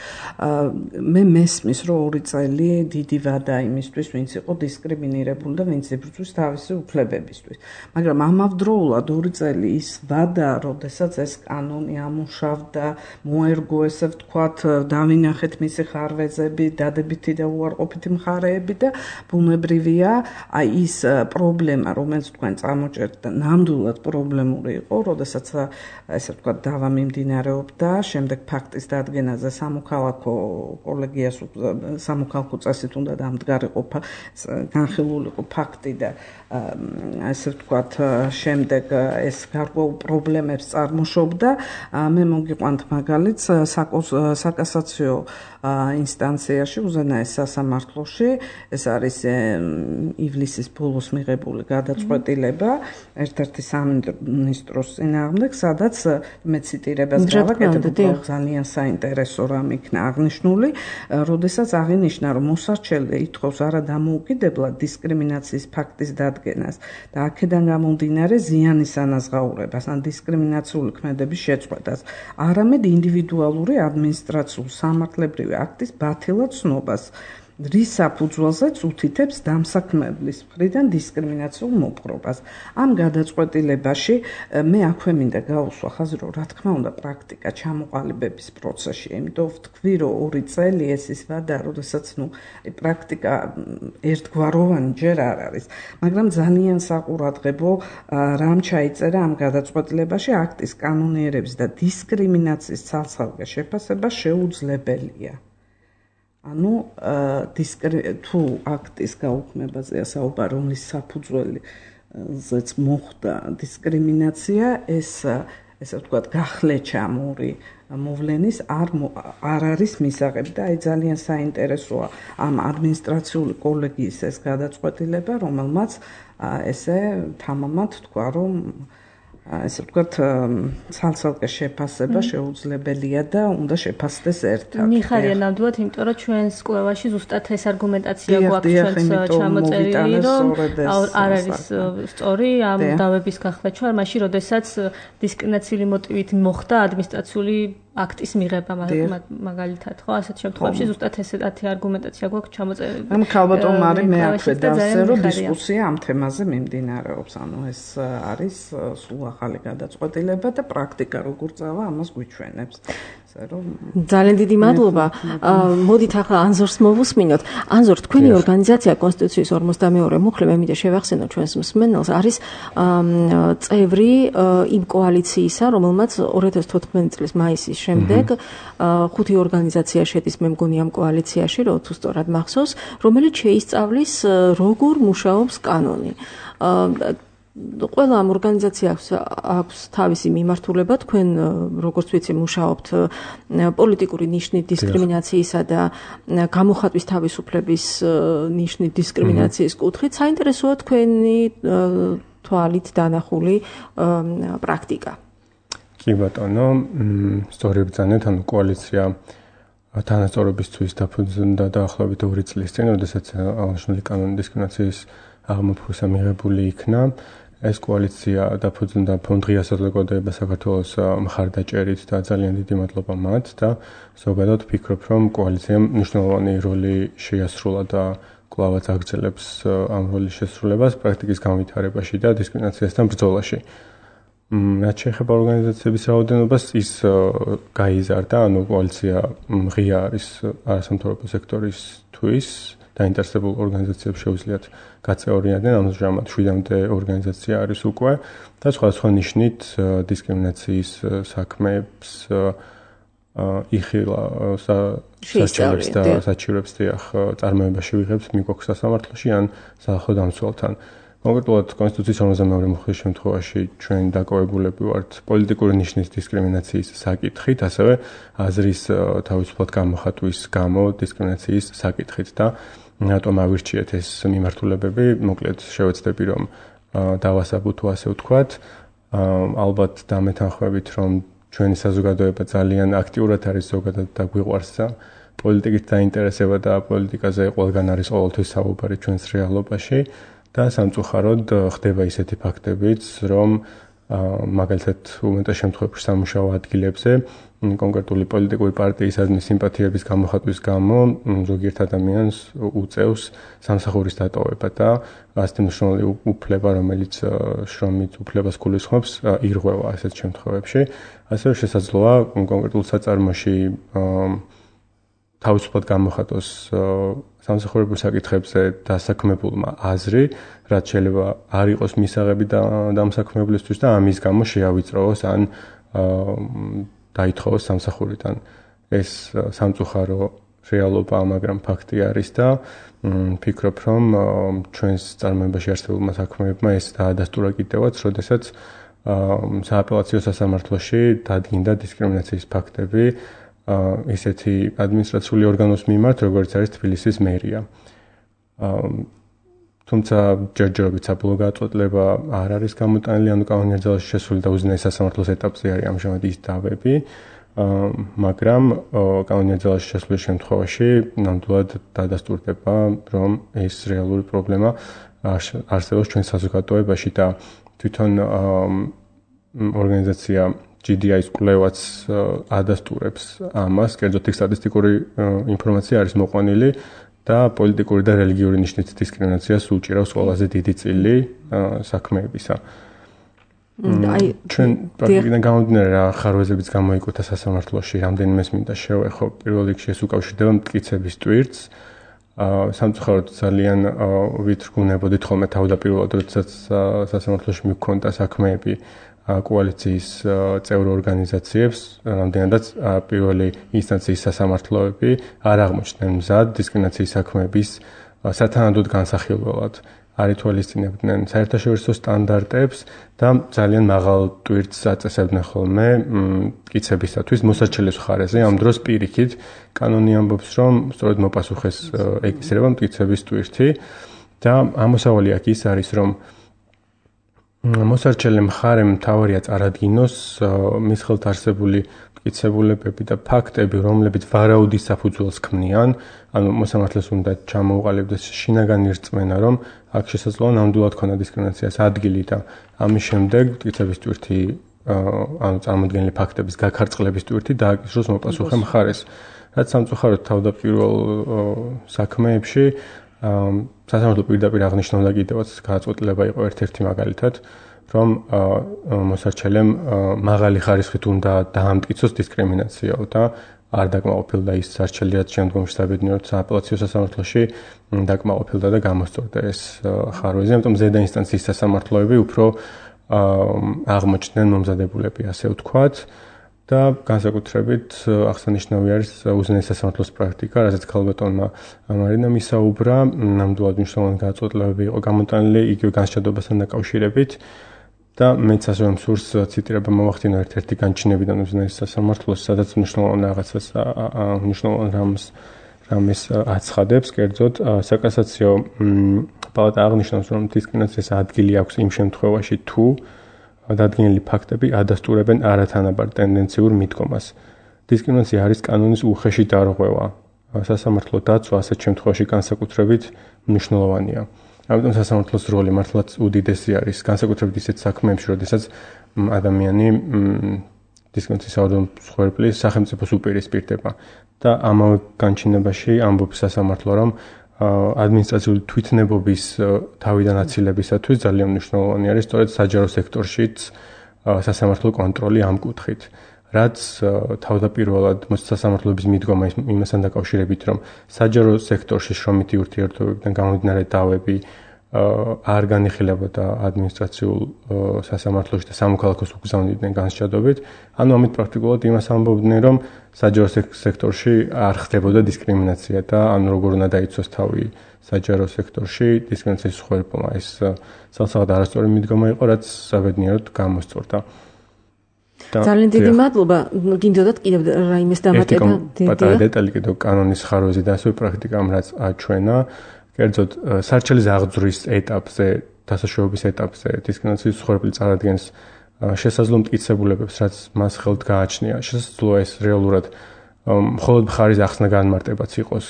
მე მესმის, რომ 2 წელი დიდი ვადა იმისთვის, ვინც იყო დისკრიმინირებული და ვინც იბრძვის თავისი უფლებებისთვის. მაგრამ ამავდროულად 2 წელი ის ვადა, როდესაც ეს კანონი ამუშავდა, მოერგო, ესე ვთქვათ, დავინახეთ მისი ხარვეზები, დადებითი და უარყოფითი მხარეები და ბუნებრივია, აი ის პრობლემა, რომელიც თქვენ წამოჭერთ და ნამდვილად პრობლემური იყო, როდესაც ესე ვთქვათ, დავა მიმდინარეობდა, შემდეგ ფაქტის დადგენაზე სამოქალაქო კოლეგიას სამოქალაქო წესით უნდა დამდგარიყო განხილულიყო ფაქტი და ესე ვთქვათ, შემდეგ ეს გარკვეულ პრობლემებს წარმოშობდა. მე მოგიყვანთ მაგალითს საკასაციო ინსტანციაში, უზენაეს სასამართლოში, ეს არის ივლისის ბოლოს მიღებული გადაწყვეტილება ერთ-ერთი სამინისტროს წინააღმდეგ, სადაც მე ციტირებას გავაკეთებ, ძალიან საინტერესო რამ იქნა აღნიშნული, როდესაც აღინიშნა, რომ მოსარჩელი ითხოვს არა დამოუკიდებლად დისკრიმინაციის ფაქტის დადგენას და აქედან გამომდინარე ზიანის ანაზღაურებას ან დისკრიმინაციული ქმედების შეწყვეტას, არამედ ინდივიდუალური ადმინისტრაციულ სამართლებრივი აქტის ბათილად ცნობას, რის საფუძველზეც უთითებს დამსაქმებლის მხრიდან დისკრიმინაციულ მოპყრობას. ამ გადაწყვეტილებაში მე აქვე მინდა გავუსვა ხაზი, რომ რა თქმა უნდა პრაქტიკა ჩამოყალიბების პროცესში, იმიტომ ვთქვი, რომ 2 წელი ეს ის ვადა, როდესაც პრაქტიკა ერთგვაროვანი ჯერ არ არის, მაგრამ ძალიან საყურადღებო რამ ჩაიწერა ამ გადაწყვეტილებაში, აქტის კანონიერების და დისკრიმინაციის ცალ-ცალკე შეფასება შეუძლებელია. ანუ თუ აქტის გაუქმებაზეა საუბარი, რომლის საფუძველზეც მოხდა დისკრიმინაცია, ესე ვთქვათ, გახლეჩამური მოვლენის არ არის მისაღები და აი ძალიან საინტერესოა ამ ადმინისტრაციული კოლეგიის ეს გადაწყვეტილება, რომელმაც ესე თამამად თქვა, რომ ესე ვთქვათ, ცალ-ცალკე შეფასება შეუძლებელია და უნდა შეფასდეს ერთად. მიხარია ნამდვილად, იმიტომ რომ ჩვენს კვლევაში ზუსტად ეს არგუმენტაცია გვაქვს ჩვენს ჩამოწერილი, რომ არ არის სწორი ამ დავების გახლეჩვა, მაშინ როდესაც დისკრიმინაციული მოტივით მოხდა ადმინისტრაციული აქტის მიღება მაგალითად, ხო, ასეთ შემთხვევაში ზუსტად ესეთი არგუმენტაცია გვაქვს ჩამოწერილი. ამ ქალბატონ მარი მე აქვე დავსე, რომ დისკუსია ამ თემაზე მიმდინარეობს. ანუ ეს არის სულ ახალი გადაწყვეტილება და პრაქტიკა როგორ წავა, ამას გვიჩვენებს. ძალიან დიდი მადლობა. მოდით ახლა ანზორს მოვუსმინოთ. ანზორ, თქვენი ორგანიზაცია კონსტიტუციის 42 მუხლი, მე მინდა შევახსენო ჩვენს მსმენელს, არის წევრი იმ კოალიციისა, რომელმაც 2014 წლის მაისის შემდეგ 5 ორგანიზაცია შედის, მე მგონი ამ კოალიციაში, რო თუ სწორად მახსოვს, რომელიც შეისწავლის როგორ მუშაობს კანონი. ყველა ამ ორგანიზაციას აქვს თავისი მიმართულება, თქვენ როგორც ვიცი მუშაობთ პოლიტიკური ნიშნით დისკრიმინაციისა და გამოხატვის თავისუფლების ნიშნით დისკრიმინაციის კუთხით. საინტერესოა თქვენი თვალით დანახული პრაქტიკა. კი ბატონო, სწორად ბრძანეთ, ანუ კოალიცია თანასწორობისთვის დაფუძნდა დაახლოებით 2 წლის წინ, როდესაც აღნიშნული კანონი დისკრიმინაციის აღმოფხვრისა მიღებული იქნა. ეს კოალიცია დაფუძნდა ფონდ ღია საზოგადოება საქართველოს მხარდაჭერით და ძალიან დიდი მადლობა მათ და ზოგადად ვფიქრობ, რომ კოალიციამ მნიშვნელოვანი როლი შეასრულა და კვლავაც აგრძელებს ამ როლის შესრულებას პრაქტიკის განვითარებაში და დისკრიმინაციასთან ბრძოლაში. რაც შეეხება ორგანიზაციების რაოდენობას, ის გაიზარდა, ანუ კოალიცია ღია არის არასამთავრობო სექტორისთვის დაინტერესებულ ორგანიზაციებს შეუძლიათ გაწევრიანდნენ, ამჟამად 7-მდე ორგანიზაცია არის უკვე და სხვადასხვა ნიშნით დისკრიმინაციის საქმეებს იხილა საჩივრებს და საჩივრებს წარმოებაში ვიღებს მიგვაქვს სასამართლოში ან სახალხო დამცველთან. კონკრეტულად კონსტიტუციის 42 მუხლის შემთხვევაში ჩვენ დაკავებულები ვართ პოლიტიკური ნიშნის დისკრიმინაციის საკითხით, ასევე აზრის თავისუფლად გამოხატვის გამო დისკრიმინაციის საკითხით და რატომ ავირჩიეთ ეს მიმართულებები, მოკლედ შევეცდები რომ დავასაბუთო ასე ვთქვათ. ალბათ დამეთანხმებით რომ ჩვენი საზოგადოება ძალიან აქტიურად არის ზოგადად და გვიყვარს პოლიტიკით დაინტერესება და პოლიტიკაზე ყველგან არის ყოველთვის საუბარი ჩვენს რეალობაში და სამწუხაროდ ხდება ისეთი ფაქტებიც, რომ მაგალითად უმეტეს შემთხვევებში სამუშაო ადგილებზე კონკრეტული პოლიტიკური პარტიისადმი სიმპათიების გამოხატვის გამო ზოგიერთ ადამიანს უწევს სამსახურის დატოვება და ასეთი მნიშვნელოვანი უფლება, რომელიც შრომით უფლებას გულისხმობს, ირღვევა ასეთ შემთხვევებში. ასევე შესაძლოა კონკრეტულ საწარმოში თავისუფლად გამოხატოს სამსახურებრივ საკითხებზე დასაქმებულმა აზრი, რაც შეიძლება არ იყოს მისაღები დამსაქმებლისთვის და ამის გამო შეავიწროვოს ან დაითხოვოს სამსახურიდან. ეს სამწუხარო რეალობა, მაგრამ ფაქტი არის და ფიქრობ, რომ ჩვენს წარმოებაში არსებულმა საქმეებმა ეს დაადასტურა კიდევაც, როდესაც სააპელაციო სასამართლოში დადგინდა დისკრიმინაციის ფაქტები ისეთი ადმინისტრაციული ორგანოს მიმართ, როგორც არის თბილისის მერია. თუმცა ჯერჯერობით საბოლოო გადაწყვეტილება არ არის გამოტანილი, ანუ კანონიერ ძალაში შესული და უზენაეს სასამართლოს ეტაპზე არის ამჟამად ის დავები, მაგრამ კანონიერ ძალაში შესulis შემთხვევაში ნამდვილად დადასტურდება, რომ ეს რეალური პრობლემა არსებობს ჩვენ საზოგადოებაში და თვითონ ორგანიზაცია GDI-ის კვლევაც ადასტურებს ამას, კერძოდ იქ სტატისტიკური ინფორმაცია არის მოყვანილი და პოლიტიკური და რელიგიური ნიშნით დისკრიმინაციას უჭირავს ყველაზე დიდი წილი საქმეებისა. ჩვენ პრაქტიკიდან გამომდინარე რა ხარვეზებიც გამოიკუთა სასამართლოში, რამდენიმეს მინდა შევეხო, პირველ რიგში ეს უკავშირდება მტკიცების ტვირთს. სამწუხაროდ ძალიან ვითრგუნებოდით ხოლმე თავდაპირველად, როდესაც სასამართლოში მიგქონდა საქმეები კოალიციის წევრ ორგანიზაციებს, რამდენადაც პირველი ინსტანციის სასამართლოები არ აღმოჩნდნენ მზად დისკრიმინაციის საქმეების სათანადოდ განსახილველად. არ ითვალისწინებდნენ საერთაშორისო სტანდარტებს და ძალიან მაღალ ტვირთს აწესებდნენ ხოლმე მტკიცებისათვის მოსარჩელის მხარეზე. ამ დროს პირიქით კანონი ამბობს, რომ სწორედ მოპასუხეს ეკისრება მტკიცების ტვირთი და ამოსავალი აქ ის არის, რომ მოსარჩელე მხარემ თავარია წარადგინოს მის ხელთ არსებული მტკიცებულებები და ფაქტები, რომლებიც ვარაუდის საფუძველს ქმნიან, ანუ მოსამართლეს უნდა ჩამოუყალიბდეს შინაგანი რწმენა, რომ აქ შესაძლოა ნამდვილად ქონა დისკრიმინაციას ადგილი და ამის შემდეგ მტკიცების ტვირთი, ანუ წარმოდგენილი ფაქტების გაქარწყლების ტვირთი დააკისროს მოპასუხე მხარეს. რაც სამწუხაროდ თავდაპირველ საქმეებში სასამართლო პირდაპირ აღნიშნავდა კიდევაც გადაწყვეტილება იყო ერთ-ერთი მაგალითად, რომ მოსარჩელემ მაღალი ხარისხით უნდა დაამტკიცოს დისკრიმინაციაო და არ დაკმაყოფილდა ის სარჩელი, რაც შემდგომში საბედნიეროდ სააპელაციო სასამართლოში დაკმაყოფილდა და გამოსწორდა ეს ხარვეზი. ამიტომ ზედა ინსტანციის სასამართლოები უფრო აღმოჩნდნენ მომზადებულები, ასე ვთქვათ. და განსაკუთრებით აღსანიშნავი არის უზენაეს სასამართლოს პრაქტიკა, რასაც ქალბატონმა მარინამ ისაუბრა, ნამდვილად მნიშვნელოვანი გადაწყვეტილებები იყო გამოტანილი იგივე განსჯადოებასთან დაკავშირებით და მეც ასევე მსურს ციტირება მოვახდინო ერთ-ერთი განჩინებიდან უზენაეს სასამართლოს, სადაც მნიშვნელოვან რაღაცას რამეს აცხადებს, კერძოდ საკასაციო პალატა აღნიშნავს, რომ დისკრიმინაციას ადგილი აქვს იმ შემთხვევაში, თუ დადგენილი ფაქტები ადასტურებენ არათანაბარ ტენდენციურ მიდგომას. დისკრიმინაცია არის კანონის უხეში დარღვევა. სასამართლო დაცვა ასეთ შემთხვევაში განსაკუთრებით მნიშვნელოვანია. ამიტომ სასამართლოს როლი მართლაც უდიდესი არის, განსაკუთრებით ისეთ საქმეებში, როდესაც ადამიანი დისკრიმინაციის მსხვერპლის სახელმწიფოს უპირისპირდება. და ამავე განჩინებაში ამბობს სასამართლო, რომ ადმინისტრაციული თვითნებობის თავიდან აცილებისათვის ძალიან მნიშვნელოვანი არის სწორედ საჯარო სექტორშიც სასამართლო კონტროლი ამ კუთხით. რაც თავდაპირველად სასამართლოების მიდგომა იმასთან დაკავშირებით, რომ საჯარო სექტორში შრომითი ურთიერთობებიდან გამომდინარე დავები არ განიხილებოდა ადმინისტრაციულ სასამართლოში და სამოქალაქოს უგზავნიდნენ განსჯადობით, ანუ ამით პრაქტიკულად იმას ამბობდნენ, რომ საჯარო სექტორში არ ხდებოდა დისკრიმინაცია და ანუ როგორ უნდა დაიცვას თავი საჯარო სექტორში დისკრიმინაციის მსხვერპლმა. ეს სალსაღად არასწორი მიდგომა იყო, რაც საბედნიეროდ გამოსწორდა. ძალიან დიდი მადლობა. გინდოდათ კიდევ რაიმეს დამატება? პატარა დეტალი კიდევ კანონის ხარვეზე და ასევე პრაქტიკამ რაც აჩვენა. კერძოდ სარჩელის აღძვრის ეტაპზე, დასაშვებების ეტაპზე დისკრიმინაციის მსხვერპლი წარადგენს შესაძლო მტკიცებულებებს, რაც მას ხელთ გააჩნია. შესაძლოა ეს რეალურად მხოლოდ მხარის ახსნა განმარტებაც იყოს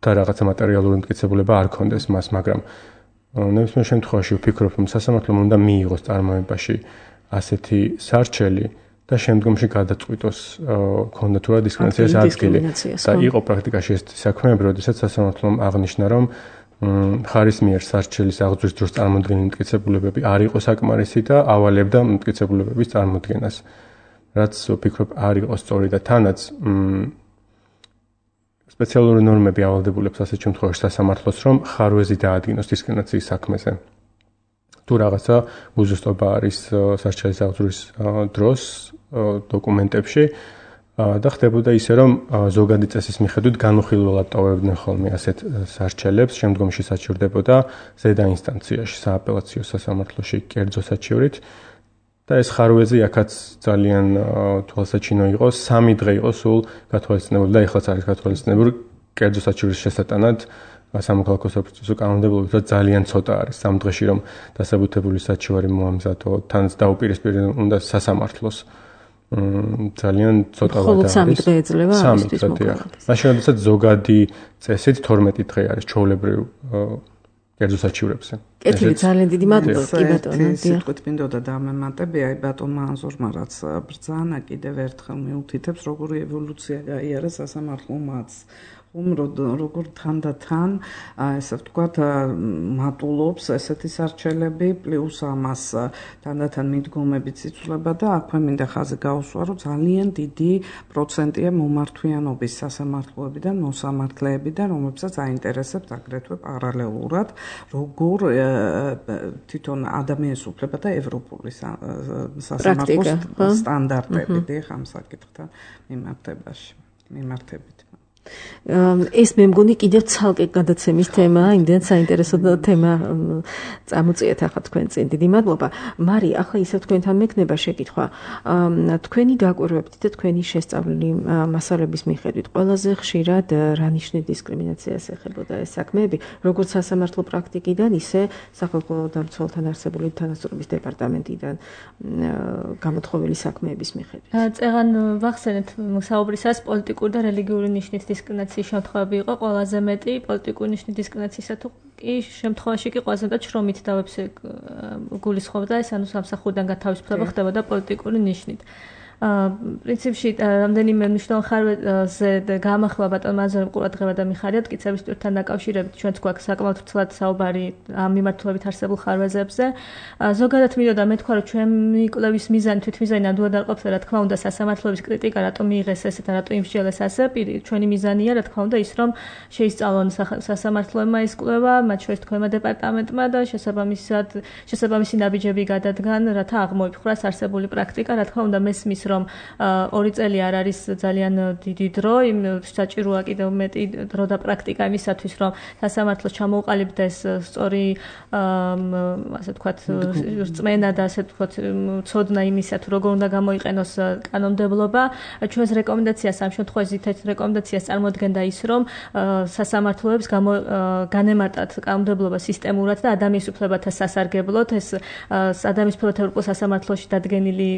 და რაღაცა მატერიალური მტკიცებულება არ ქონდეს მას, მაგრამ ნებისმიერ შემთხვევაში ვფიქრობ, რომ სასამართლომ უნდა მიიღოს წარმოებაში ასეთი სარჩელი და შემდგომში გადაწყვიტოს ქონდა თუ არა დისკრიმინაციას ადგილი. და იყო პრაქტიკაში ეს საქმეები, როდესაც სასამართლომ აღნიშნა, რომ ხარის მიერ სარჩელის აღძვრის დროს წარმოდგენილი მტკიცებულებები არ იყო საკმარისი და ავალებდა მტკიცებულებების წარმოდგენას. რაც ვფიქრობ არ იყო სწორი და თანაც სპეციალური ნორმები ავალდებულებს ასეთ შემთხვევაში სასამართლოს, რომ ხარვეზი დაადგინოს დისკრიმინაციის საქმეზე. თუ რაღაცა უზუსტობა არის სარჩელის აღძვრის დროს დოკუმენტებში და ხდებოდა ისე, რომ ზოგადი წესის მიხედვით განუხილველად ტოვებდნენ ხოლმე ასეთ სარჩელებს, შემდგომში საჩივრდებოდა ზედა ინსტანციაში, სააპელაციო სასამართლოში კერძო საჩივრით. და ეს ხარვეზი აქაც ძალიან თვალსაჩინო იყო, 3 დღე იყო სულ გათვალისწინებული და ეხლაც არის გათვალისწინებული კერძო საჩივრის შესატანად სამოქალაქო საფუძველზე კანონმდებლობით, რომ ძალიან ცოტა არის 3 დღეში რომ დასაბუთებული საჩივარი მოამზადო, თანაც დაუპირისპირდა უნდა სასამართლოს. ძალიან ცოტა მხოლოდ 3 დღე ეძლევა ამისთვის მოკლედ. მაშინ როდესაც ზოგადი წესით 12 დღე არის ჩვეულებრივ კერძო საჩივრებზე. კეთილი, ძალიან დიდი მადლობა, კი ბატონო. სიტყვით მინდოდა დამემატებია, აი ბატონმა ანზორმა რაც ბრძანა კიდევ ერთხელ მიუთითებს, როგორი ევოლუცია გაიარა სასამართლომაც. როგორ თანდათან, ესე ვთქვათ, მატულობს ესეთი სარჩელები, პლუს ამას თანდათან მიდგომებიც იცვლება და აქვე მინდა ხაზი გაუსვა, რომ ძალიან დიდი პროცენტია მომართვიანობის სასამართლოებიდან, მოსამართლეებიდან, რომლებსაც აინტერესებს აგრეთვე პარალელურად, როგორ თვითონ ადამიანის უფლება და ევროპული სასამართლოს სტანდარტები დიახ ამ საკითხთან მიმართებით. ეს მე მგონი კიდევ ცალკე გადაცემის თემაა, იმდენად საინტერესო თემა წამოწიეთ ახლა თქვენ წინ. დიდი მადლობა. მარი, ახლა ისევ თქვენთან მექნება შეკითხვა. თქვენი დაკვირვებით და თქვენი შესწავლილი მასალების მიხედვით ყველაზე ხშირად რა ნიშნის დისკრიმინაციას ეხებოდა ეს საქმეები, როგორც სასამართლო პრაქტიკიდან, ისე სახალხო დამცველთან არსებული თანასწორობის დეპარტამენტიდან გამოთხოვილი საქმეების მიხედვით. წეღან ვახსენეთ საუბრისას პოლიტიკური და რელიგიური ნიშნის დისკრიმინაციის შემთხვევები იყო ყველაზე მეტი, პოლიტიკური ნიშნის დისკრიმინაციისა თუ კი შემთხვევაში კი ყველაზე მეტად შრომით დავებზე გულისხმობდა ეს, ანუ სამსახურიდან გათავისუფლება ხდებოდა პოლიტიკური ნიშნით. პრინციპში რამდენიმე მნიშვნელოვან ხარვეზე გამახვა ბატონმა ანზორემ ყურადღება და მიხარია მტკიცების ტვირთთან დაკავშირებით ჩვენც გვაქვს საკმაოდ ცვლად საუბარი ამ მიმართულებით არსებულ ხარვეზებზე. ზოგადად მინდოდა მეთქვა, რომ ჩვენი კვლევის მიზანი თვითმიზანი ნამდვილად არ ყოფილა, რა თქმა უნდა, სასამართლოების კრიტიკა, რატომ მიიღეს ესეთ და რატომ იმსჯელეს ასე. ჩვენი მიზანია, რა თქმა უნდა, ის რომ შეისწავლონ სასამართლოებმა ეს კვლევა, მათ შორის თქვენმა დეპარტამენტმა და შესაბამისი ნაბიჯები გადადგან, რათა აღმოიფხვრას არსებული პრაქტიკა, რა თქმა უნდა, მესმის რომ 2 წელი არ არის ძალიან დიდი დრო, იმ საჭიროა კიდევ მეტი დრო და პრაქტიკა იმისათვის, რომ სასამართლოს ჩამოუყალიბდეს სწორი, ასე ვთქვათ, რწმენა და ასე ვთქვათ, ცოდნა იმისა, თუ როგორ უნდა გამოიყენოს კანონმდებლობა. ჩვენს რეკომენდაციას ამ შემთხვევაში ერთ-ერთი რეკომენდაციას წარმოადგენდა ის, რომ სასამართლოებს განემარტათ კანონმდებლობა სისტემურად და ადამიანის უფლებათა სასარგებლოდ. ეს ადამიანის უფლებათა ევროპულ სასამართლოში დადგენილი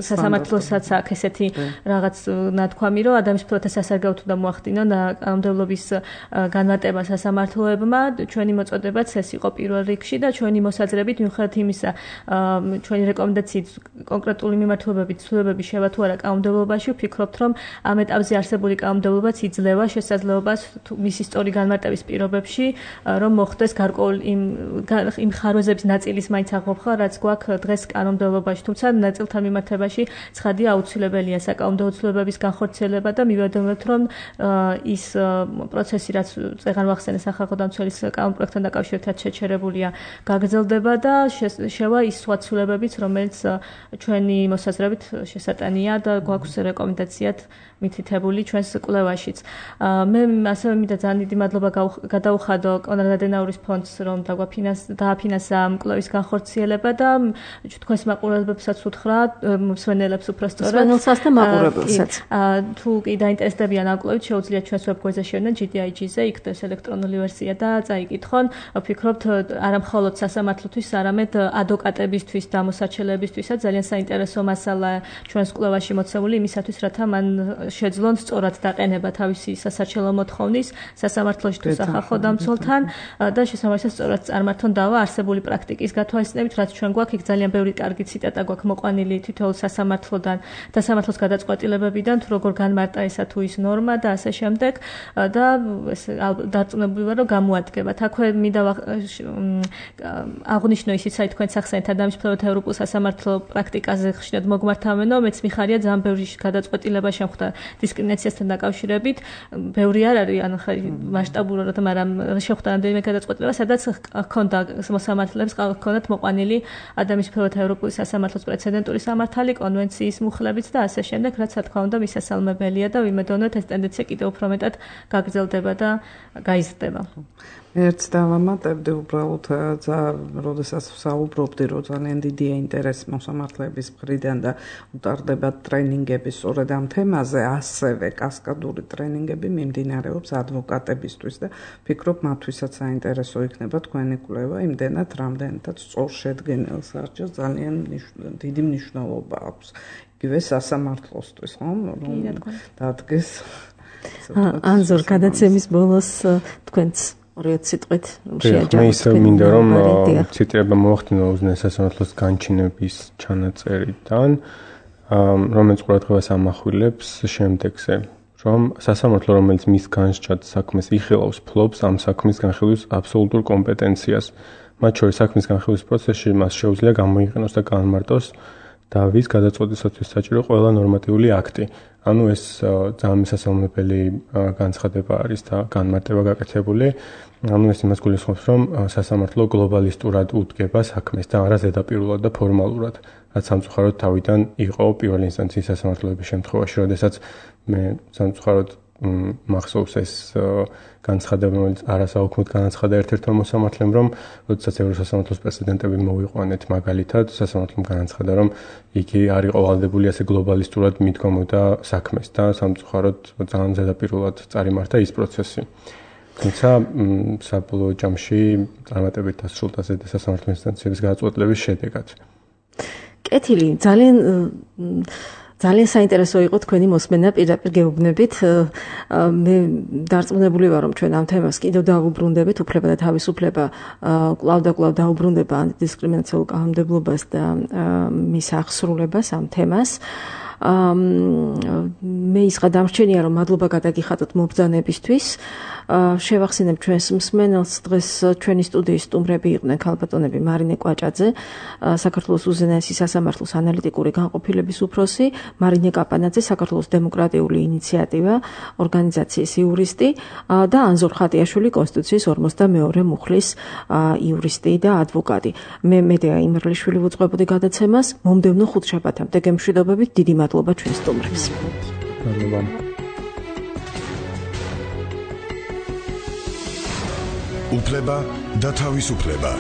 სასამართლოსაც აქ ესეთი რაღაც ნათქვამი, რომ ადამიანის უფლებათა სასარგებლოდ უნდა მოახდინონ კანონმდებლობის განმარტება სასამართლოებმა. ჩვენი მოწოდებაც ეს იყო პირველ რიგში და ჩვენი მოსაზრებით მიუხედავად იმისა, ჩვენი რეკომენდაციით კონკრეტული მიმართულებებით ცვლილებები შევა თუ არა კანონმდებლობაში, ვფიქრობთ, რომ ამ ეტაპზე არსებული კანონმდებლობაც იძლევა შესაძლებლობას მისი სწორი განმარტების პირობებში, რომ მოხდეს გარკვეული იმ ხარვეზების ნაწილის მაინც აღოფხვა, რაც გვაქვს დღეს კანონმდებლობაში, თუმცა ნაწილთან მიმართებაში ცხადია აუცილებელია საკანონმდებლო ცვლილებების განხორციელება და მივედომებთ, რომ ის პროცესი, რაც წეღან ვახსენე სახალხო დამცველის კანონპროექტთან დაკავშირებით შეჩერებულია, გაგრძელდება და შევა ის სხვა ცვლილებებიც, რომელიც ჩვენი მოსაზრებით შესატანია და გვაქვს რეკომენდაციად მითითებული ჩვენს კვლევაშიც. მე ასევე მინდა ძალიან დიდი მადლობა გადაუხადო კონრად ადენაურის ფონდს, რომ დააფინანსა ამ კვლევის განხორციელება და თქვენს მაყურებლებსაც უთხრა, მსმენელებს უბრალოდ მსმენელსაც და მაყურებელსაც. თუ კი დაინტერესდებიან ამ კვლევით, შეუძლიათ ჩვენს ვებგვერდზე შევიდნენ GDIG-ზე, იქ დეს ელექტრონული ვერსია და წაიკითხონ. ვფიქრობთ, არა მხოლოდ სასამართლოთვის, არამედ ადვოკატებისთვის და მოსაჩელეებისთვისაც ძალიან საინტერესო მასალა ჩვენს კვლევაში მოცემული იმისათვის, რათა მან შეძლონ სწორად დაყენება თავისი სასარჩელო მოთხოვნის სასამართლოში თუ სახალხო დამცველთან და შესაბამისად სწორად წარმართონ დავა არსებული პრაქტიკის გათვალისწინებით, რაც ჩვენ გვაქვს იქ ძალიან ბევრი კარგი ციტატა გვაქვს მოყვანილი თითოეულ სასამართლოდან და სამართლოს გადაწყვეტილებებიდან, თუ როგორ განმარტა ესა თუ ის ნორმა და ასე შემდეგ და ეს დარწმუნებული ვარ, რომ გამოადგებათ. აქვე მინდა აღნიშნო ისიც, აი თქვენ სახსენეთ ადამიანის მფლობელთა ევროპულ სასამართლო პრაქტიკაზე ხშირად მოგმართავენო, მეც მიხარია ძალიან ბევრი გადაწყვეტილება შემხვდა დისკრიმინაციასთან დაკავშირებით. ბევრი არ არის, ანუ ხარ მასშტაბურად, მაგრამ შეხვდა რამდენიმე გადაწყვეტილება, სადაც ჰქონდა მოსამართლეებს ჰქონდათ მოყვანილი ადამიანის მფლობელთა ევროპული სასამართლოს პრეცედენტული სამართალი, კონვენციის მუხლებით და ასე შემდეგ, რაც რა თქმა უნდა მისასალმებელია და ვიმედოვნოთ ეს ტენდენცია კიდევ უფრო მეტად გაგრძელდება და გაიზრდება. ერთს დავამატებდი უბრალოდ, როდესაც ვსაუბრობდი, რომ ძალიან დიდია ინტერესი მოსამართლეების მხრიდან და უტარდება ტრენინგები სწორედ ამ თემაზე, ასევე კასკადური ტრენინგები მიმდინარეობს ადვოკატებისთვის და ვფიქრობ, მათთვისაც საინტერესო იქნება თქვენი კვლევა, იმდენად, რამდენადაც სწორშედგენილ სარჩელს ძალიან დიდი მნიშვნელობა აქვს. იგივე სასამართლოსთვის, ხო? რომ დადგეს. ანზორ, გადაცემის ბოლოს თქვენც ორიოთ სიტყვით შეაჯამოთ. მე ისე მინდა რომ ციტირება მოახდინო უზენაეს სასამართლოს განჩინების ჩანაწერიდან, რომელიც ყურადღებას ამახვილებს შემდეგზე, რომ სასამართლო, რომელიც მის განსჯად საქმეს იხილავს, ფლობს ამ საქმის განხილვის აბსოლუტურ კომპეტენციას. მათ შორის საქმის განხილვის პროცესში მას შეუძლია გამოიყენოს და განმარტოს დავის გადაწყვეტისათვის საჭირო ყველა ნორმატიული აქტი. ანუ ეს ძალიან მისასალმებელი განცხადება არის და განმარტება გაკეთებული. ანუ ეს იმას გულისხმობს, რომ სასამართლო გლობალისტურად უდგება საქმეს და არა ზედაპირულად და ფორმალურად, რაც სამწუხაროდ თავიდან იყო პირველი ინსტანციის სასამართლოების შემთხვევაში, როდესაც მე სამწუხაროდ მახსოვს ეს განცხადება, რომელიც არასაუქმოდ განაცხადა ერთ-ერთმა მოსამართლემ, რომ როდესაც ევროსასამართლოს პრეცედენტები მოვიყვანეთ მაგალითად, სასამართლომ განაცხადა, რომ იგი არ იყო ვალდებული ასე გლობალისტურად მიდგომოდა საქმეს და სამწუხაროდ ძალიან ზედაპირულად წარიმართა ის პროცესი. თუმცა საბოლოო ჯამში წარმატებით დასრულდა სასამართლო ინსტანციების გადაწყვეტილების შედეგად. კეთილი, ძალიან საინტერესო იყო თქვენი მოსმენა პირდაპირ გეუბნებით. მე დარწმუნებული ვარ, რომ ჩვენ ამ თემას კიდევ დავუბრუნდებით, უფლება და თავისუფლება კვლავ და კვლავ დავუბრუნდება ანტიდისკრიმინაციულ კანონმდებლობას და მის აღსრულებას ამ თემას. მე ის გადამრჩენია, რომ მადლობა გადაგიხადოთ მობრძანებისთვის. შევახსენებ ჩვენს მსმენელს, დღეს ჩვენი სტუდიის სტუმრები იყვნენ ქალბატონები მარინე კვაჭაძე, საქართველოს უზენაესი სასამართლოს ანალიტიკური განყოფილების უფროსი, მარინე კაპანაძე, საქართველოს დემოკრატიული ინიციატივა ორგანიზაციის იურისტი და ანზორ ხატიაშვილი, კონსტიტუციის 42 მუხლის იურისტი და ადვოკატი. მე მედეა იმერლიშვილი ვუძღვებოდი გადაცემას. მომდევნო ხუთშაბათამდე გემშვიდობებით, დიდი მადლობა ჩვენს სტუმრებს. მადლობა. უფლება და თავისუფლება.